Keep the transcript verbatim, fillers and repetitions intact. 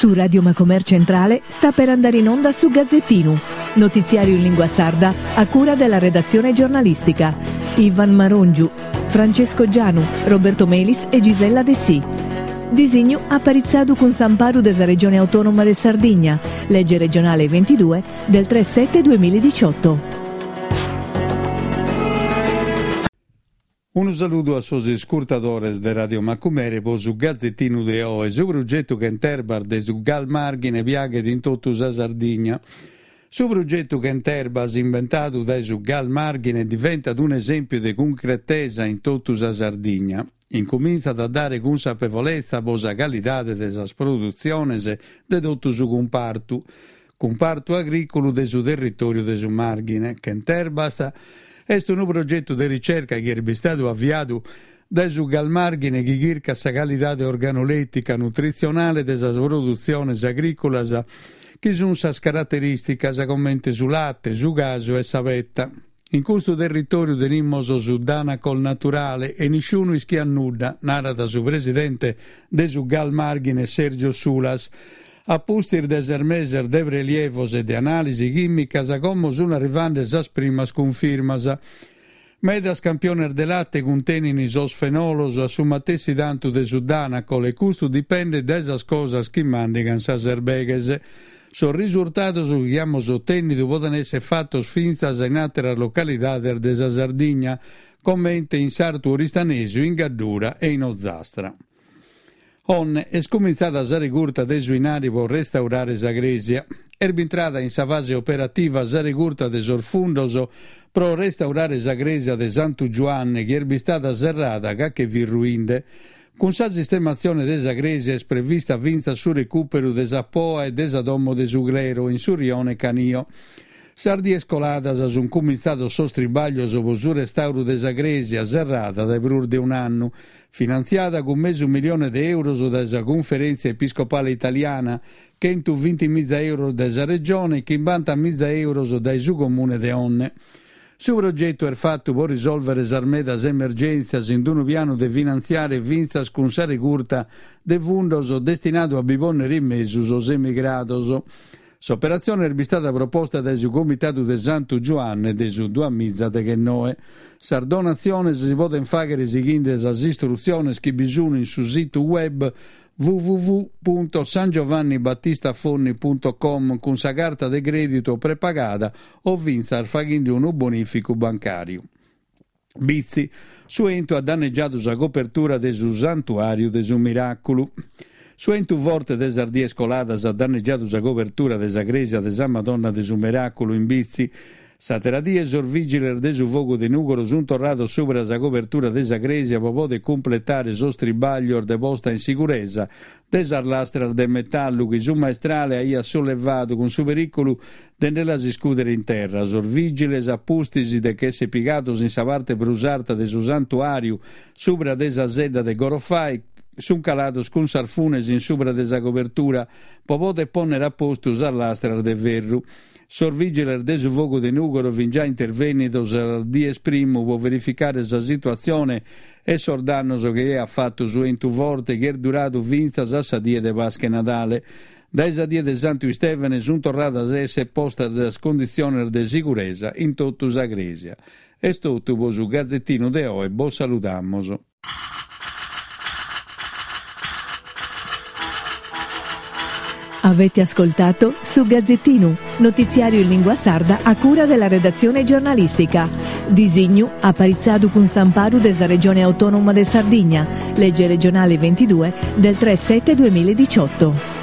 Su Radio Macomer Centrale sta per andare in onda su Gazzettinu, notiziario in lingua sarda a cura della redazione giornalistica. Ivan Marongiu, Francesco Gianu, Roberto Melis e Gisella Dessì. Disignu aparitzadu cun s'amparu de sa Regione Autonoma de Sardigna, legge regionale ventidue del tre sette duemiladiciotto. Unu saludu a sos iscurtadores de Radio Macumere po su Gazzettinu de oe. Su progetu Chent'Erbas de su Gal Marghine piaghet in totu sa Sardigna. Su progetu Chent'Erbas, imbentadu dae su Gal Marghine, diventat un'esèmpiu de cuncretesa in totu sa Sardigna. Incumintzat a dare cunsapevolezza po sa calidade de sas produtziones de totu su cumpartu, cumpartu agrìculu de su territòriu de su Marghine. Chent'Erbas est unu progetu de ricerca chi est bistadu aviadu dae su Gal Marghine chi chircat sa calidade organolettica nutritzionale de sas produtziones agrìculas chi sunt sas caraterìsticas comente su late, su casu e sa petta. In custu territòriu tenimus su Danacol naturale e nisciunu ischiat nudda, narat su presidente de su Gal Marghine Sergio Sulas. A pustis de ses meses de prelievos e de anàlisi chìmicas, como sunt arrivende sas primas cunfirmas. Medas campiones de late cuntenint sos fenolos a su matessi tantu de su Danacol e custu dipendet dae sas cosas chi màndigant sas erbeghes. Sos risurtados chi amus otènnidu podent èssere fatos fintzas in àteras localidades de sa Sardigna, comente in s'Artu Oristanesu, in Gaddura e in Ozastra. Onne est comintzada sa regurta de su 'inari pro restaurare sa crèsia. Est bintrada in sa fase operativa sa regurta de sos fundos pro restaurare sa crèsia de Santu Giuanne, chi est bistada serrada ca che fit ruinde. Cun sa sistematzione de sa crèsia est prevista fintzas su recùperu de sa Poa e de sa Domo de su Clero in su Rione Canio. Sas dies coladas sunt cumintzados sos tribàglios pro su restàuru de sa crèsia, serrada dae prus de un'annu, finantziada cun mesu milione de euros dae sa Cunferèntzia Episcopale Italiana, chentu binti miza euros dae sa Regione e chimbanta miza euros dae su Comune de Onne. Su progetu est fatu pro risòlvere sas medas emergèntzias in unu pianu de finantziare fintzas cun sa regurta de fundos destinadu a bi pònnere in mesu sos emigrados. S'operatzione est bistada proposta dae su Comitadu de Santu Giuanne de su duamiza deghennoe. Sas donatziones si podent fàghere sighende sas istrutziones chi bi sunt in su situ web w w w punto san giovanni battista fonni punto com cun sa carta de crèditu prepagada o fintzas faghende unu bonìficu bancàriu. Bitzi, su 'entu at danneggiadu sa copertura de su Santuàriu de su Miràculu. Su 'entu forte de sas dies coladas at danneggiadu sa cobertura de sa crèsia de sa Madonna de su Miràculu in Bitzi. S'àtera die sos vìgiles de su fogu de Nùgoro sunt torrados subra sa cobertura de sa crèsia pro poder cumpletare sos tribàglios de posta in siguresa de sas lastras de metallu chi su maestrale aiat sollevadu cun su perìculu de nde las iscùdere in terra. Sos vìgiles, a pustis de ch'èssere pigados in sa parte prus arta de su santuàriu, subra de sa sedda de Gorofai, sunt calados cun sas funes in subra de sa cobertura pro poder pònnere a postu sas lastras de ferru. Sos vìgiles de su fogu de Nùgoro fin già intervènnidos sas dies primu pro verificare sa situatzione e sos dannos chi aiat fatu su 'entu forte chi est duradu fintzas a sa die de Pasca 'e Nadale. Dae sa die de Santu Istèvene sunt torradas a èssere postas sas conditziones de siguresa in totu sa crèsia. Est totu pro su Gazettinu de oe, bos saludamos. Avete ascoltato su Gazzettinu, notiziario in lingua sarda a cura della redazione giornalistica. Disignu aparitzadu cun s'amparu de sa Regione Autonoma de Sardigna, legge regionale ventidue del tre sette duemiladiciotto.